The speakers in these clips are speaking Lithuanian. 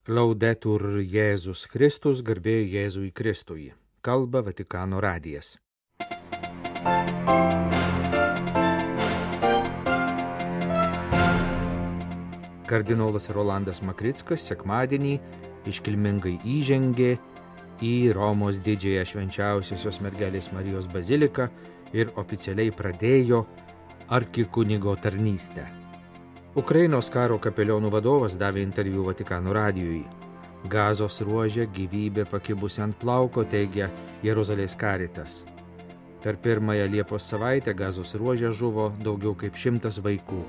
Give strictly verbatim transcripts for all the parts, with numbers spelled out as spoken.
Laudetur Jėzus Kristus, garbė Jėzui Kristui. Kalba Vatikano radijas. Kardinolas Rolandas Makrickas sekmadienį iškilmingai įžengė į Romos didžiąją švenčiausiosios mergelės Marijos baziliką ir oficialiai pradėjo arkikunigo tarnystę. Ukrainos karo kapelionų vadovas davė interviu Vatikano radijui. Gazos ruože gyvybė pakibusi ant plauko, teigia Jeruzalės karitas. Per pirmąją Liepos savaitę Gazos ruože žuvo daugiau kaip šimtas vaikų.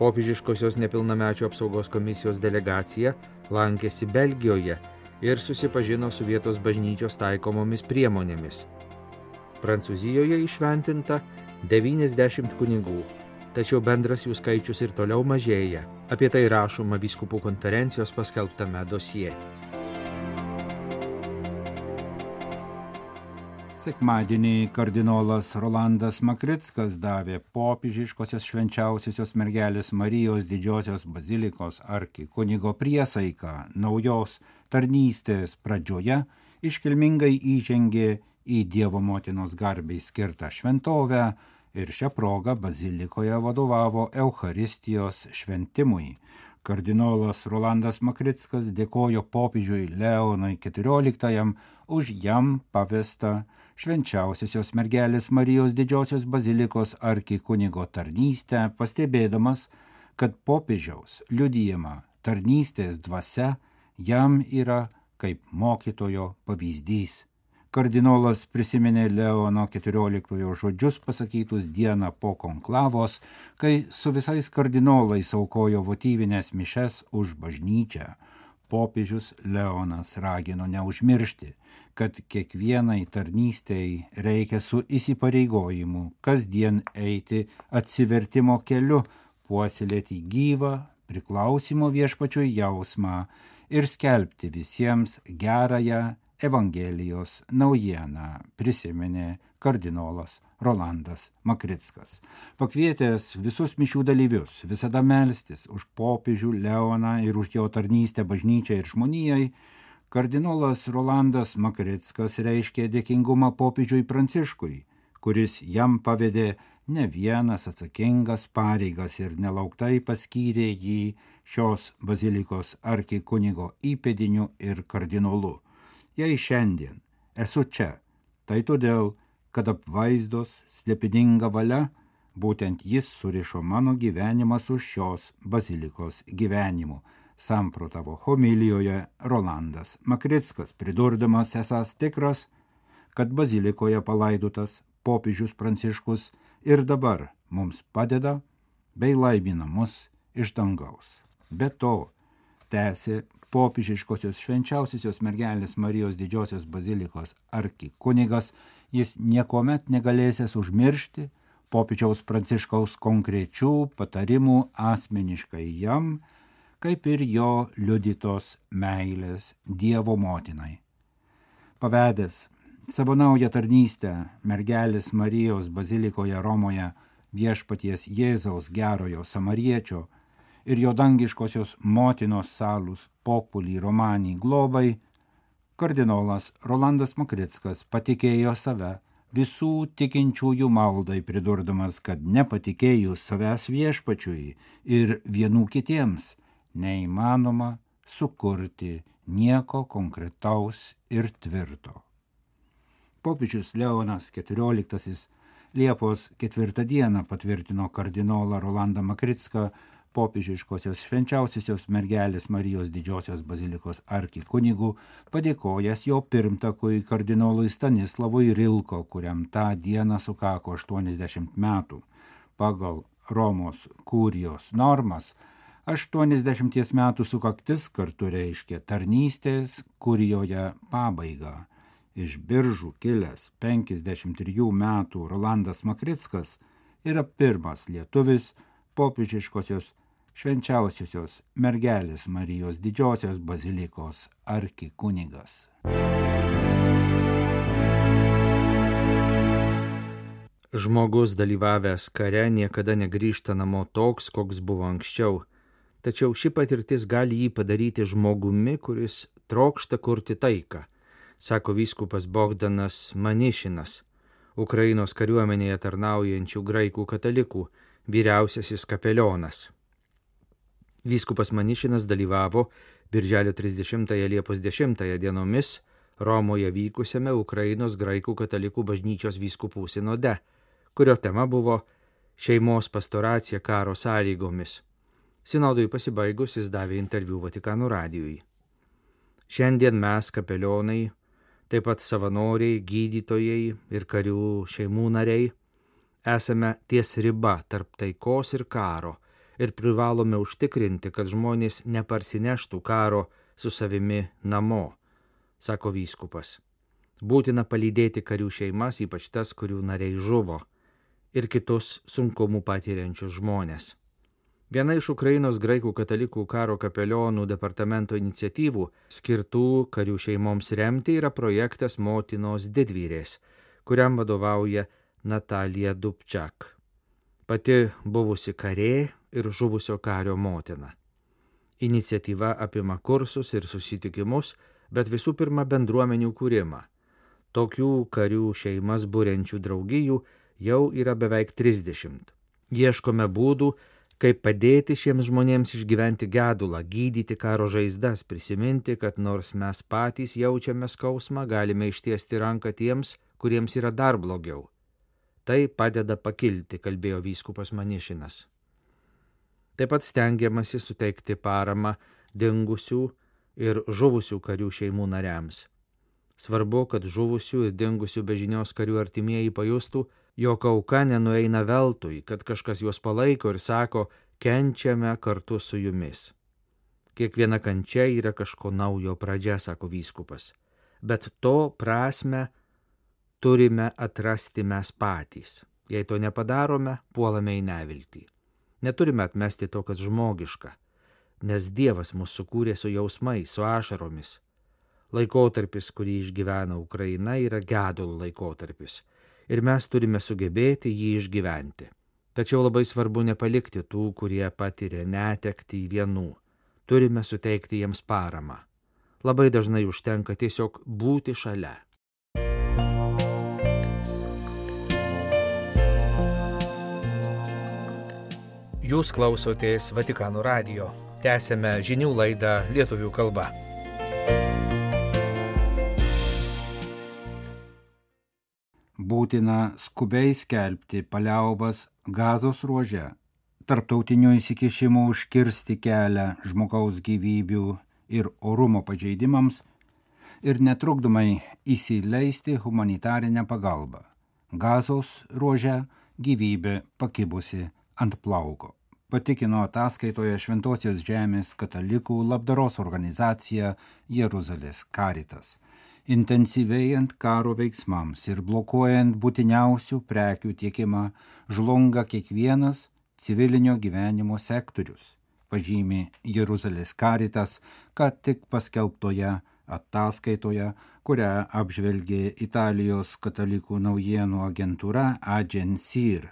Popiežiškosios nepilnamečių apsaugos komisijos delegacija lankėsi Belgijoje ir susipažino su vietos bažnyčios taikomomis priemonėmis. Prancūzijoje įšventinta devyniasdešimt kunigų. Tačiau bendras jų skaičius ir toliau mažėja. Apie tai rašoma vyskupų konferencijos paskelbtame dosie. Sekmadienį kardinolas Rolandas Makrickas davė popiežiškosios švenčiausiosios mergelės Marijos didžiosios bazilikos arkikunigo priesaiką naujos tarnystės pradžioje, iškilmingai įžengė į Dievo motinos garbei skirtą šventovę ir šią progą bazilikoje vadovavo Eucharistijos šventimui. Kardinolas Rolandas Makrickas dėkojo popiežiui Leonui keturioliktajam už jam pavestą švenčiausiosios mergelės Marijos didžiosios bazilikos arkikunigo tarnystę, pastebėdamas, kad popiežiaus liudijama tarnystės dvasia jam yra kaip mokytojo pavyzdys. Kardinolas prisiminė Leono keturioliktojo žodžius pasakytus dieną po konklavos, kai su visais kardinolais aukojo votyvinės mišes už bažnyčią. Popiežius Leonas ragino neužmiršti, kad kiekvienai tarnystei reikia su įsipareigojimu kasdien eiti atsivertimo keliu, puoselėti gyvą priklausimo viešpačiui jausmą ir skelbti visiems gerąją Evangelijos naujieną, prisiminė kardinolas Rolandas Makrickas. Pakvietęs visus mišių dalyvius visada melstis už popiežių Leoną ir už jo tarnystę bažnyčiai ir žmonijai, kardinolas Rolandas Makrickas reiškė dėkingumą popiežiui Pranciškui, kuris jam pavedė ne vienas atsakingas pareigas ir nelauktai paskyrė jį šios bazilikos arkikunigo įpėdiniu ir kardinolu. Jei šiandien esu čia, tai todėl, kad apvaizdos slėpininga valia, būtent jis surišo mano gyvenimą su šios bazilikos gyvenimu, samprotavo homilijoje Rolandas Makrickas, pridurdamas esąs tikras, kad bazilikoje palaidotas popiežius Pranciškus ir dabar mums padeda bei laimina mus iš dangaus. Be to, tęsė popiežiškosios švenčiausiosios mergelės Marijos didžiosios bazilikos arkikunigas, jis niekuomet negalėsės užmiršti popiežiaus Pranciškaus konkrečių patarimų asmeniškai jam, kaip ir jo liudytos meilės Dievo motinai. Pavedęs savo naują tarnystę mergelės Marijos bazilikoje Romoje viešpaties Jėzaus gerojo samariečio ir jo dangiškosios motinos salus populi romani globai, kardinolas Rolandas Makrickas patikėjo save visų tikinčiųjų maldai, pridurdamas, kad nepatikėjus savęs viešpačiui ir vienų kitiems neįmanoma sukurti nieko konkretaus ir tvirto. Popiežius Leonas keturioliktasis Liepos ketvirtą dieną patvirtino kardinolą Rolandą Makricką popiežiškosios švenčiausiosios mergelės Marijos didžiosios bazilikos arkikunigų, padėkojęs jo pirmtakui kardinolui Stanislavui Rilko, kuriam tą dieną sukako aštuoniasdešimt metų. Pagal Romos kurijos normas, aštuoniasdešimties metų sukaktis kartu reiškia tarnystės kurijoje pabaigą. Iš Biržų kilęs penkiasdešimt trijų metų Rolandas Makrickas yra pirmas lietuvis popiežiškosios švenčiausiosios mergelės Marijos didžiosios bazilikos arkikunigas. Žmogus dalyvavęs kare niekada negrįžta namo toks, koks buvo anksčiau. tačiau ši patirtis gali jį padaryti žmogumi, kuris trokšta kurti taiką, sako vyskupas Bogdanas Manišinas, Ukrainos kariuomenėje tarnaujančių graikų katalikų vyriausiasis kapelionas. Vyskupas Manišinas dalyvavo birželio trisdešimtąją Liepos dešimtąją dienomis Romoje vykusiame Ukrainos graikų katalikų bažnyčios vyskupų sinode, kurio tema buvo šeimos pastoracija karo sąlygomis. Sinodui pasibaigus jis davė interviu Vatikano radijui. Šiandien mes, kapelionai, taip pat savanoriai, gydytojai ir karių šeimų nariai, esame ties riba tarp taikos ir karo ir privalome užtikrinti, kad žmonės neparsineštų karo su savimi namo, sako vyskupas. Būtina palydėti karių šeimas, ypač tas, kurių nariai žuvo, ir kitus sunkumų patiriančius žmonės. Viena iš Ukrainos graikų katalikų karo kapelionų departamento iniciatyvų skirtų karių šeimoms remti yra projektas Motinos didvyrės, kuriam vadovauja Natalija Dubčak, pati buvusi karė ir žuvusio kario motina. Iniciatyva apima kursus ir susitikimus, bet visų pirma bendruomenių kūrimą. Tokių karių šeimas buriančių draugijų jau yra beveik trisdešimt. Ieškome būdų, kaip padėti šiems žmonėms išgyventi gedulą, gydyti karo žaizdas, prisiminti, kad nors mes patys jaučiame skausmą, galime ištiesti ranką tiems, kuriems yra dar blogiau. Tai padeda pakilti, kalbėjo vyskupas Manišinas. Taip pat stengiamasi suteikti paramą dingusių ir žuvusių karių šeimų nariams. Svarbu, kad žuvusių ir dingusių be žinios karių artimieji pajustų, jog auka nenueina veltui, kad kažkas juos palaiko ir sako, kenčiame kartu su jumis. Kiekviena kančia yra kažko naujo pradžia, sako vyskupas, bet to prasme turime atrasti mes patys. Jei to nepadarome, puolame į neviltį. Neturime atmesti to, kas žmogiška, nes Dievas mus sukūrė su jausmais, su ašaromis. Laikotarpis, kurį išgyvena Ukraina, yra gedulo laikotarpis. Ir mes turime sugebėti jį išgyventi. Tačiau labai svarbu nepalikti tų, kurie patiria netektį vienų. Turime suteikti jiems paramą. Labai dažnai užtenka tiesiog būti šalia. Jūs klausotės Vatikano radijo. Tęsėme žinių laidą lietuvių kalba. Būtina skubiai skelbti paliaubas Gazos ruože, tarptautinių įsikišimų užkirsti kelią žmogaus gyvybių ir orumo pažeidimams ir netrukdomai įsileisti humanitarinę pagalbą. Gazos ruože gyvybė pakibusi ant plauko, patikino ataskaitoje Šventosios žemės katalikų labdaros organizacija Jeruzalės Karitas. Intensyvėjant karo veiksmams ir blokuojant būtiniausių prekių tiekimą, žlunga kiekvienas civilinio gyvenimo sektorius, pažymi Jeruzalės Karitas, kad tik paskelbtoje ataskaitoje, kurią apžvelgė Italijos katalikų naujienų agentūra Agencir.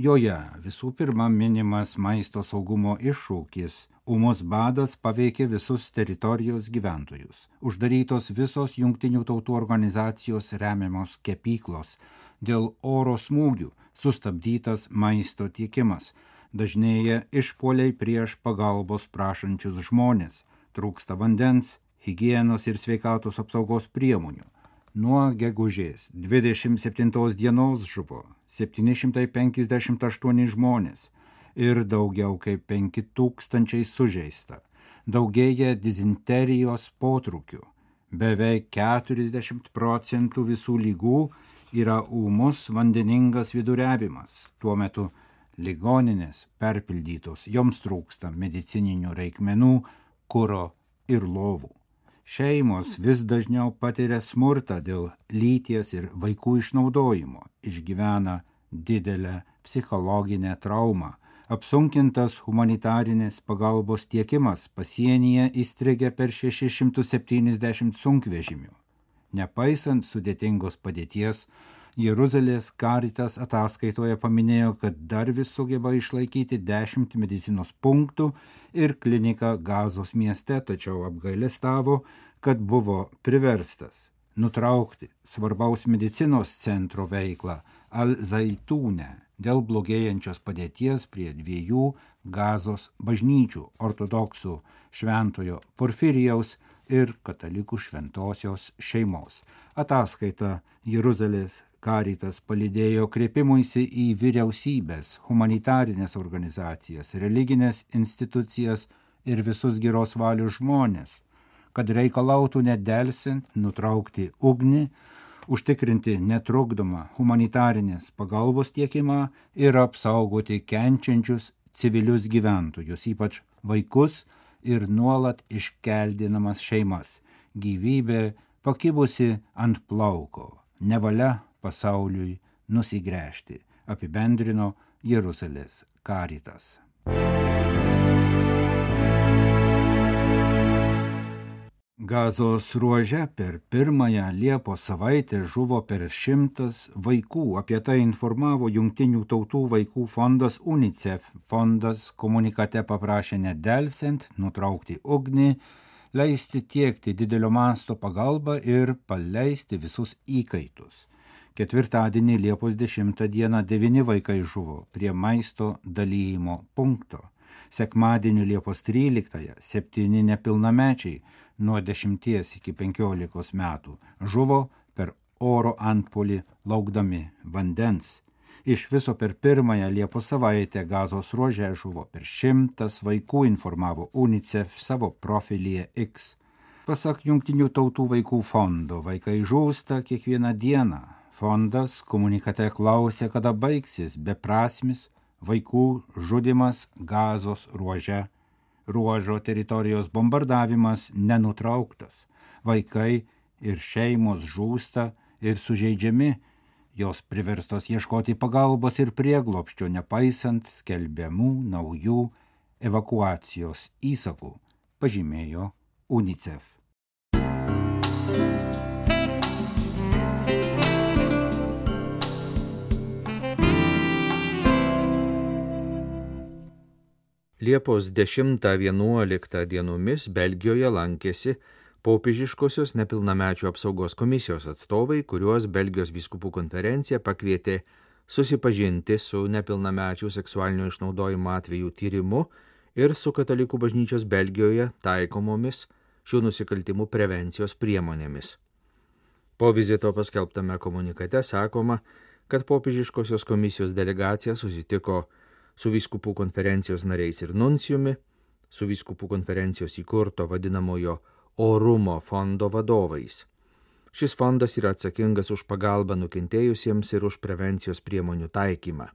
Joje visų pirma minimas maisto saugumo iššūkis. Ūmus badas paveikė visus teritorijos gyventojus. Uždarytos visos Jungtinių tautų organizacijos remiamos kepyklos. Dėl oro smūgių sustabdytas maisto tiekimas. Dažnėja išpuoliai prieš pagalbos prašančius žmonės. Trūksta vandens, higienos ir sveikatos apsaugos priemonių. Nuo gegužės dvidešimt septintos dienos žuvo septyni šimtai penkiasdešimt aštuoni žmonės ir daugiau kaip penki tūkstančiai sužeista. Daugėja dizenterijos potrūkių. Beveik keturiasdešimt procentų visų ligų yra ūmus vandeningas viduriavimas. Tuo metu ligoninės perpildytos, joms trūksta medicininių reikmenų, kuro ir lovų. Šeimos vis dažniau patiria smurtą dėl lyties ir vaikų išnaudojimo, išgyvena didelę psichologinę traumą. Apsunkintas humanitarinės pagalbos tiekimas pasienyje įstrigė per šešis šimtus septyniasdešimt sunkvežimių. Nepaisant sudėtingos padėties, Jeruzalės Caritas ataskaitoje paminėjo, kad dar vis sugeba išlaikyti dešimt medicinos punktų ir kliniką Gazos mieste, tačiau apgailestavo, kad buvo priverstas nutraukti svarbaus medicinos centro veiklą Al-Zaitūne dėl blogėjančios padėties prie dviejų Gazos bažnyčių – ortodoksų šventojo Porfirijaus ir katalikų šventosios šeimos. Ataskaita Jeruzalės Caritas palydėjo kreipimuisi į vyriausybės, humanitarinės organizacijas, religinės institucijas ir visus geros valios žmonės, kad reikalautų nedelsiant nutraukti ugnį, užtikrinti netrukdomą humanitarinės pagalbos tiekimą ir apsaugoti kenčiančius civilius gyventojus, ypač vaikus ir nuolat iškeldinamas šeimas. Gyvybė pakibusi ant plauko, nevalia pasauliui nusigręžti, apibendrino Jeruzalės Caritas. Gazos ruože per pirmąją Liepos savaitę žuvo per šimtas vaikų. Apie tai informavo Jungtinių tautų vaikų fondas UNICEF. Fondas komunikate paprašė nedelsiant nutraukti ugnį, leisti tiekti didelio masto pagalbą ir paleisti visus įkaitus. Ketvirtadienį Liepos dešimtą dieną devyni vaikai žuvo prie maisto dalyjimo punkto. Sekmadienį Liepos tryliktąją septyni nepilnamečiai nuo dešimties iki penkiolikos metų žuvo per oro antpuolį laukdami vandens. Iš viso per pirmąją Liepos savaitę Gazos ruože žuvo per šimtas vaikų, informavo UNICEF savo profilyje X. Pasak Jungtinių tautų vaikų fondo, vaikai žūsta kiekvieną dieną. Fondas komunikate klausė, kada baigsis beprasmis vaikų žudimas Gazos ruože. Ruožo teritorijos bombardavimas nenutrauktas. Vaikai ir šeimos žūsta ir sužeidžiami, jos priverstos ieškoti pagalbos ir prieglobsčio, nepaisant skelbiamų naujų evakuacijos įsakų, pažymėjo UNICEF. Liepos dešimtą vienuoliktą dienomis Belgijoje lankėsi popiežiškosios nepilnamečių apsaugos komisijos atstovai, kuriuos Belgijos vyskupų konferencija pakvietė susipažinti su nepilnamečių seksualinio išnaudojimo atvejų tyrimu ir su katalikų bažnyčios Belgijoje taikomomis šių nusikaltimų prevencijos priemonėmis. Po vizito paskelbtame komunikate sakoma, kad popiežiškosios komisijos delegacija susitiko su vyskupų konferencijos nariais ir nuncijumi, su vyskupų konferencijos įkurto vadinamojo orumo fondo vadovais. Šis fondas yra atsakingas už pagalbą nukentėjusiems ir už prevencijos priemonių taikymą.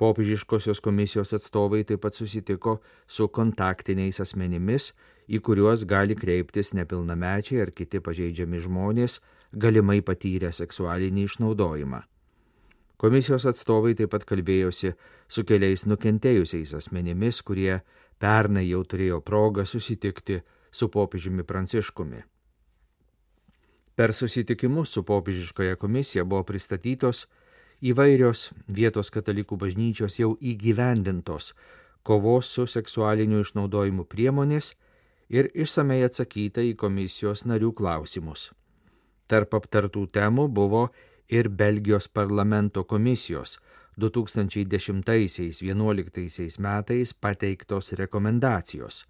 Popiežiškosios komisijos atstovai taip pat susitiko su kontaktiniais asmenimis, į kuriuos gali kreiptis nepilnamečiai ar kiti pažeidžiami žmonės, galimai patyrę seksualinį išnaudojimą. Komisijos atstovai taip pat kalbėjosi su keliais nukentėjusiais asmenimis, kurie pernai jau turėjo progą susitikti su popiežiumi Pranciškumi. Per susitikimus su popiežiškoje komisija buvo pristatytos įvairios vietos katalikų bažnyčios jau įgyvendintos kovos su seksualiniu išnaudojimu priemonės ir išsamei atsakyta į komisijos narių klausimus. Tarp aptartų temų buvo ir Belgijos parlamento komisijos du tūkstančiai dešimtaisiais vienuoliktaisiais metais pateiktos rekomendacijos,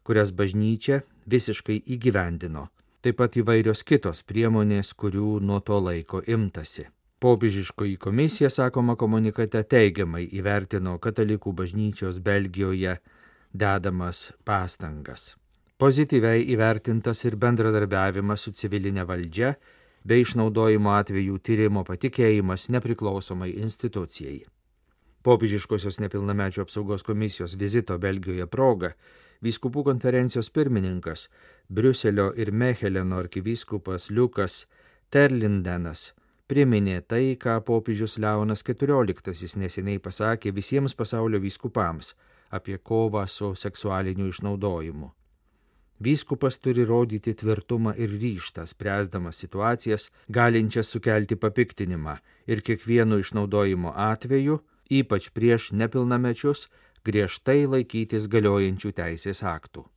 kurias bažnyčia visiškai įgyvendino, taip pat įvairios kitos priemonės, kurių nuo to laiko imtasi. Popiežiškoji komisija, sakoma komunikate, teigiamai įvertino katalikų bažnyčios Belgijoje dedamas pastangas. Pozityviai įvertintas ir bendradarbiavimas su civilinė valdžia bei išnaudojimo atvejų tyrimo patikėjimas nepriklausomai institucijai. Popiežiškosios nepilnamečių apsaugos komisijos vizito Belgijoje proga vyskupų konferencijos pirmininkas, Briuselio ir Mecheleno arkivyskupas Liukas Terlindenas priminė tai, ką popiežius Leonas keturioliktasis neseniai pasakė visiems pasaulio vyskupams apie kovą su seksualiniu išnaudojimu. Vyskupas turi rodyti tvirtumą ir ryžtą, spręsdamas situacijas, galinčias sukelti papiktinimą ir kiekvienu išnaudojimo atveju, ypač prieš nepilnamečius, griežtai laikytis galiojančių teisės aktų.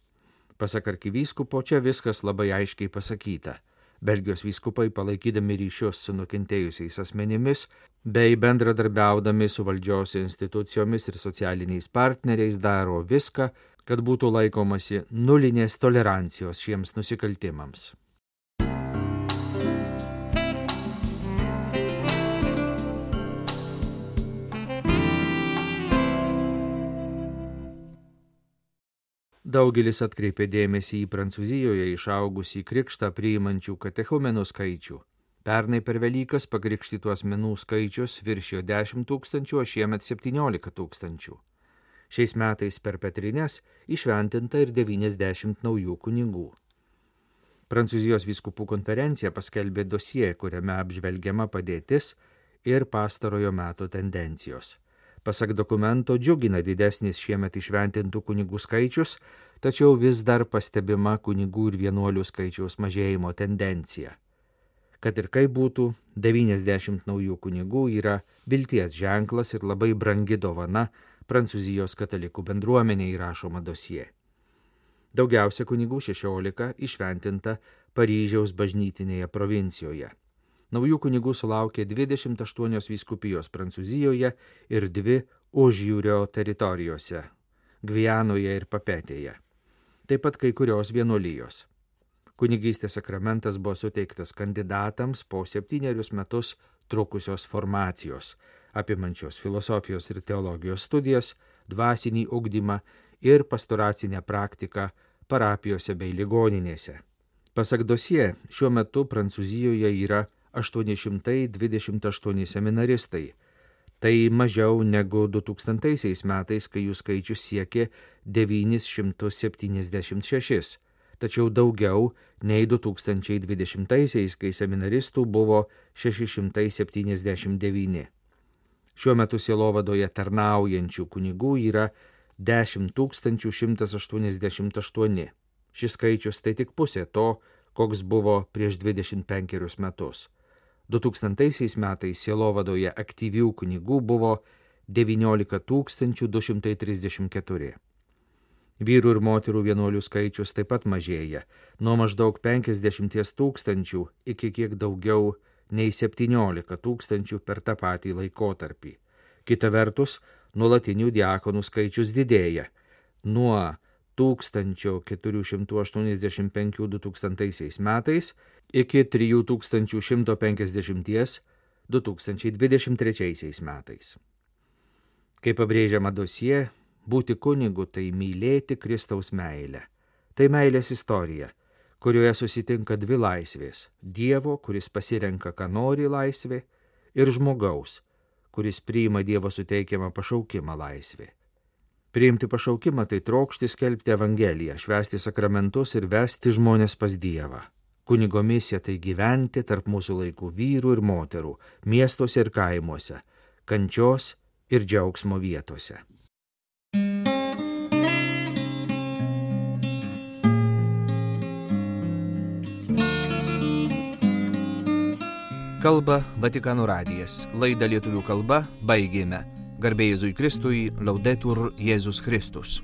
Pasak arkivyskupo, čia viskas labai aiškiai pasakyta. Belgijos vyskupai, palaikydami ryšius su nukentėjusiais asmenimis, bei bendradarbiaudami su valdžios institucijomis ir socialiniais partneriais, daro viską, kad būtų laikomasi nulinės tolerancijos šiems nusikaltimams. Daugelis atkreipė dėmesį į Prancūzijoje išaugusį krikštą priimančių katechumenų skaičių. Pernai per Velykas pakrikštytų asmenų skaičius viršijo dešimt tūkstančių, o šiemet septyniolika tūkstančių. Šiais metais per Petrines įšventinta ir devyniasdešimt naujų kunigų. Prancūzijos vyskupų konferencija paskelbė dosie, kuriame apžvelgiama padėtis ir pastarojo meto tendencijos. Pasak dokumento, džiugina didesnis šiemet įšventintų kunigų skaičius, tačiau vis dar pastebima kunigų ir vienuolių skaičiaus mažėjimo tendencija. Kad ir kaip būtų, devyniasdešimt naujų kunigų yra vilties ženklas ir labai brangi dovana Prancūzijos katalikų bendruomeniai, rašoma dosie. Daugiausia kunigų šešiolika įšventinta Paryžiaus bažnytinėje provincijoje. Naujų kunigų sulaukė dvidešimt aštuonios vyskupijos Prancūzijoje ir dvi užjūrio teritorijose – Gvianoje ir Papetėje. Taip pat kai kurios vienuolijos. Kunigystės sakramentas buvo suteiktas kandidatams po septynerius metus trukusios formacijos, apimančios filosofijos ir teologijos studijas, dvasinį ugdymą ir pastoracinę praktiką parapijose bei ligoninėse. Pasak dosie, šiuo metu Prancūzijoje yra aštuoni šimtai dvidešimt aštuoni seminaristai. Tai mažiau negu du tūkstantaisiais metais, kai jų skaičius siekė devynis šimtus septyniasdešimt šešis, tačiau daugiau nei du tūkstančiai dvidešimtaisiais, kai seminaristų buvo šeši šimtai septyniasdešimt devyni. Šiuo metu sielovadoje tarnaujančių kunigų yra dešimt tūkstančių šimtas aštuoniasdešimt aštuoni. Šis skaičius tai tik pusė to, koks buvo prieš dvidešimt penkerius metus. du tūkstantaisiais metais sielovadoje aktyvių kunigų buvo devyniolika tūkstančių du šimtai trisdešimt keturi. Vyrų ir moterų vienuolių skaičius taip pat mažėja, nuo maždaug penkiasdešimt tūkstančių iki kiek daugiau nei septyniolika tūkstančių per tą patį laikotarpį. Kita vertus, nuolatinių diakonų skaičius didėja nuo tūkstančio keturių šimtų aštuoniasdešimt penkių du tūkstantaisiais metais iki trijų tūkstančių šimto penkiasdešimties du tūkstančiai dvidešimt trečiaisiais metais. Kaip pabrėžiama dosie, būti kunigu tai mylėti Kristaus meilę. Tai meilės istorija, kurioje susitinka dvi laisvės – Dievo, kuris pasirenka, ką nori laisvė, ir žmogaus, kuris priima Dievo suteikiamą pašaukimą laisvė. Priimti pašaukimą tai trokšti skelbti Evangeliją, švęsti sakramentus ir vesti žmonės pas Dievą. Kunigo misija tai gyventi tarp mūsų laikų vyrų ir moterų, miestuose ir kaimuose, kančios ir džiaugsmo vietose. Kalba Vatikano radijas. Laidą lietuvių kalba baigėme. Garbė Jėzui Kristui, Laudetur Jėzus Kristus.